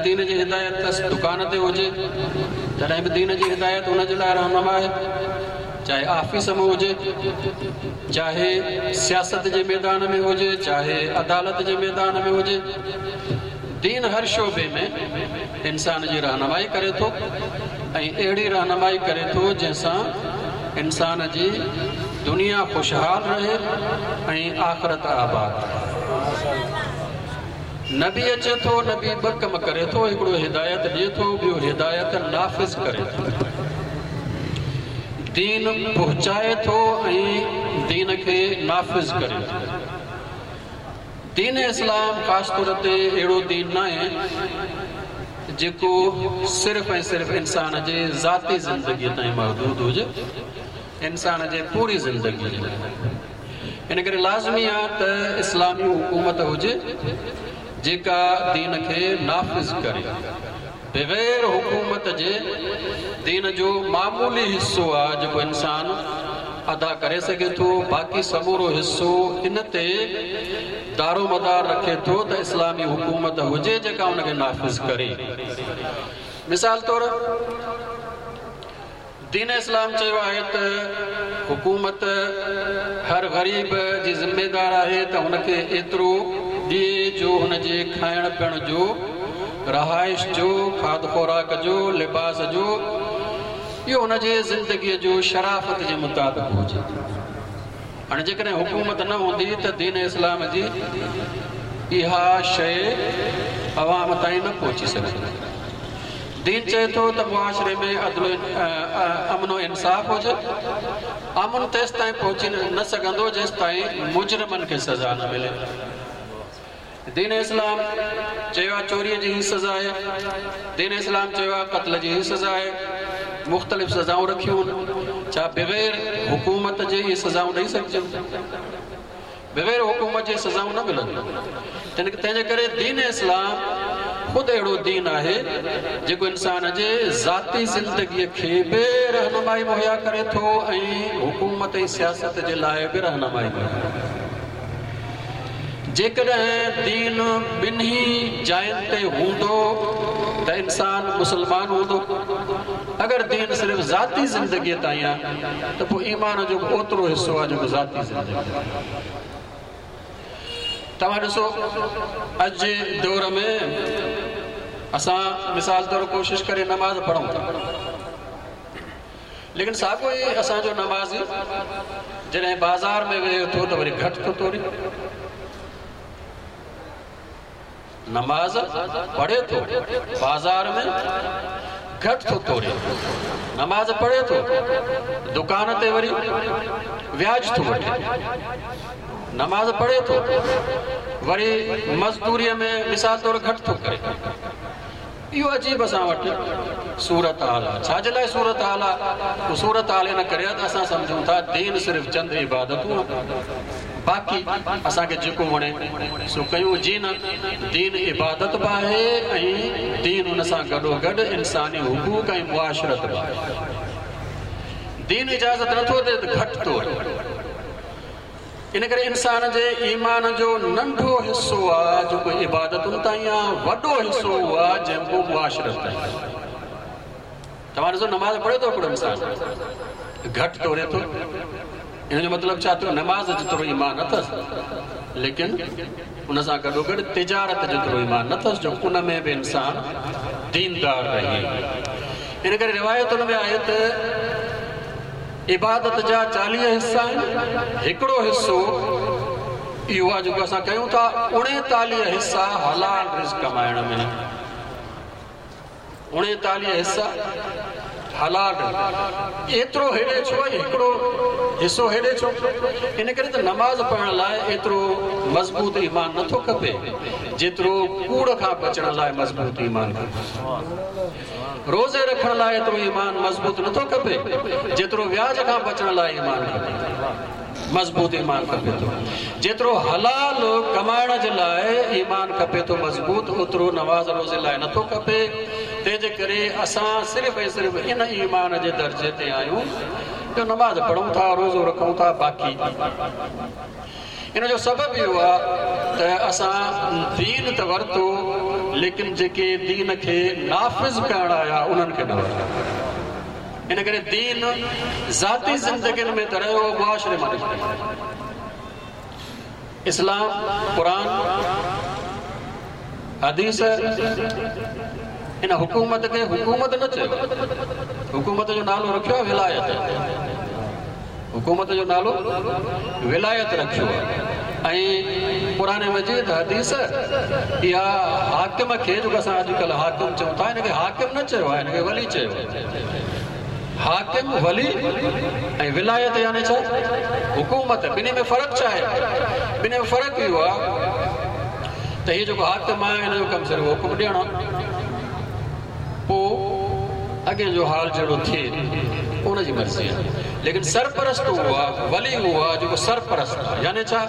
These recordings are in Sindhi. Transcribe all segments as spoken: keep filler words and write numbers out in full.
دين جي هدايت دڪان تي هجي تڏهن به دين جي هدايت هن جي لاءِ رهنما آهي، چاهي آفيس ۾ هجي، چاهي سياست جي ميدان ۾ هجي، چاهي عدالت جي ميدان ۾ هجي، دين هر شعبي ۾ انسان جي رهنمائي ڪري ٿو ۽ اهڙي رهنمائي ڪري ٿو جنهن سان انسان جي دنيا خوشحال رهي ۽ آخرت آباد رهي. نبي اچي ٿو، نبي ٻه ڪم ڪري ٿو، هڪڙو هدايت ڏئي ٿو، ٻيو هدايت نافذ ڪري ٿو، دين پهچائي ٿو ۽ دين کي نافذ ڪري ٿو. دين اسلام خاص طور تي اهڙو دين نه آهي جيڪو صرف ۽ صرف انسان جي ذاتي زندگيءَ تائين محدود هجي، انسان جي پوري زندگيءَ جي لاءِ. ان ڪري لازمي آهي ته اسلامي حڪومت هجي جيڪا دين کي نافذ ڪري. بغير حڪومت جي دين جو معمولي حصو آهي جيڪو انسان ادا ڪري سگهي ٿو، باقي سمورو حصو ان تي دارومدار رکي ٿو ته اسلامي حڪومت هجي جيڪا ان کي نافذ ڪري. مثال طور دين اسلام چيو آهي ته حڪومت هر غريب جي ذميدار آهي ته هن کي ايترو ڏئي جو هن جي کائڻ پيئڻ جو، رهائش جو، کاڌ خوراڪ جو، لباس جو، اهو هن جي زندگيءَ جو شرافت جي مطابق هجي. هاڻي جيڪڏهن حڪومت نه هوندي ته دين اسلام جي اها شيءِ عوام تائين نه پهچي سگهندي. دين چئي ٿو ته معاشري ۾ عدل امن و انصاف هجي. امن تيس تائين پهچي نه سگهندو جيس تائين مجرمن کي سزا نه ملي. دين اسلام چيو آهي چوريءَ جي هي سزا آهي، دين اسلام چيو آهي قتل جي هي سزا آهي، مختلف سزائون رکيون. ڇا بغير حڪومت جي اهي سزائون ڏيئي سگهجن؟ بغير حڪومت جي سزائون نه ملنديون. تنهن جي ڪري دين اسلام خود اهڙو دين آهي جيڪو انسان جي ذاتي زندگيءَ کي به رهنمائي مهيا ڪري ٿو ۽ حڪومت ۽ سياست جي لاءِ به رهنمائي مهيا ڪري ٿو. جيڪڏهن دين ٻنهي جاين تي هوندو ته انسان مسلمان هوندو. اگر دين صرف ذاتي زندگيءَ تائين آهي ته پوءِ ايمان جو به اوترو حصو آهي جيڪو ذاتي زندگي آهي. توهان ڏسو اڄ جي دور ۾ اسان مثال طور ڪوشش ڪري نماز پڙهون ٿا، ليڪن ساڳيو ئي اسان جو نمازي جڏهن بازار ۾ ويهي ٿو ته وري گهٽ ٿو توري، نماز پڙهي ٿو بازار ۾ گهٽ ٿو توري، نماز پڙهي ٿو دڪان تي وري وياج ٿو وٺي، نماز پڙهي ٿو وري مزدوريءَ ۾ مثال طور گهٽ ٿو ڪري. اهو عجيب اسان وٽ صورت حال آهي. ڇا جي لاءِ صورت حال آهي؟ اهو صورت حال ان ڪري آهي ته اسان سمجهون ٿا دين صرف چند عبادتون آهن، باقي اسان کي جيڪو وڻي سو ڪيون. جي نه، دين عبادت به آهي ۽ دين هن سان گڏو گڏ انساني حقوق ۽ معاشرت به آهي. دين اجازت نٿو ڏئي ته گهٽ طور. ان ڪري انسان جي ايمان جو ننڍو حصو آهي جيڪو عبادتن تائين آهي، وڏو حصو اهو آهي جيڪو معاشرت تائين آهي. توهان ڏسو نماز پڙهي ٿو هڪڙو انسان گهٽ توري ٿو، ان جو مطلب ڇا ٿيو؟ نماز جيترو ايمان اٿس، ليڪن ان سان گڏو گڏ تجارت جيترو ايمان نه اٿس جو ان ۾ به انسان ديندار رهي. ان ڪري روايتن ۾ آهي ته عبادت جا چاليهه حصا آهن، هڪڙو حصو اهو آهي جيڪو اسان ڪيون ٿا، اڻيتاليهه حصا حلال رزق ڪمائڻ ۾، اڻيتاليهه حصا حلال. ايترو هيڏي ڇو ۽ هڪڙو حصو هيڏي ڇو؟ ان ڪري ته نماز پڙهڻ لاءِ ايترو مضبوط ايمان نٿو کپي جيترو ڪوڙ کان بچڻ لاءِ مضبوط ايمان کپي. روزي رکڻ لاءِ ايترو ايمان مضبوط نٿو کپي جيترو وياج کان بچڻ لاءِ ايمان کپي، مضبوط ايمان کپي ٿو. جيترو حلال ڪمائڻ جي لاءِ ايمان کپي ٿو مضبوط، اوترو نماز روزي لاءِ نٿو کپي. تنهن جي ڪري اسان صرف ۽ صرف ان ايمان جي درجي تي آهيون جو نماز پڙهون ٿا، روزو رکون ٿا، باقي ان جو سبب اهو آهي ته اسان دين ته ورتو लेकिन जेके दीन खे नाफ़िज़ करण आया उन्हनि खे न वरियो। इन करे दीन ज़ाती ज़िंदगियुनि में त रहियो, मुआशरे मां निकिरी वियो। इस्लाम, क़ुर, हदीस इन हुकूमत खे हुकूमत न चयो, हुकूमत जो नालो रखियो आहे विलायत, हुकूमत जो नालो विलायत रखियो आहे। ऐं क़ुर मजीद हदीस इहा हाकिम खे, जेको असां अॼुकल्ह हाकिम चऊं था, हिनखे हाकिम न चयो आहे, हिनखे वली चयो आहे। हाकिम, वली ऐं विलायत यानी छा? हुकूमत। ॿिन्ही में फ़र्क़ु छा आहे? ॿिन्ही में फ़र्क़ु इहो आहे त हीउ जेको हाकिम आहे हिन जो कमु सिर्फ़ु हुकुम ॾियणु आहे, पोइ अॻे जो हाल जहिड़ो थिए उनजी मर्ज़ी आहे। लेकिन सरपरस्त उहो आहे, वली उहो आहे जेको सरपरस्त आहे। यानी छा?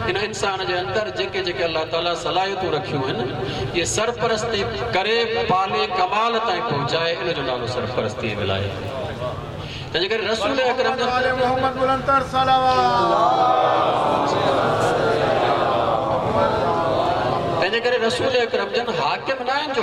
हिन इंसान जे अंदरि जेके जेके अलाह ताला सलाहियतूं रखियूं आहिनि, इहे सरपरस्ती करे पाले कमाल ताईं पहुचाए, इन जो नालो सरपरस्ती विलायत। तंहिंजे करे रसूल अकरम तंहिंजे करे रसूल अकरम जन हाकिम न आहिनि जो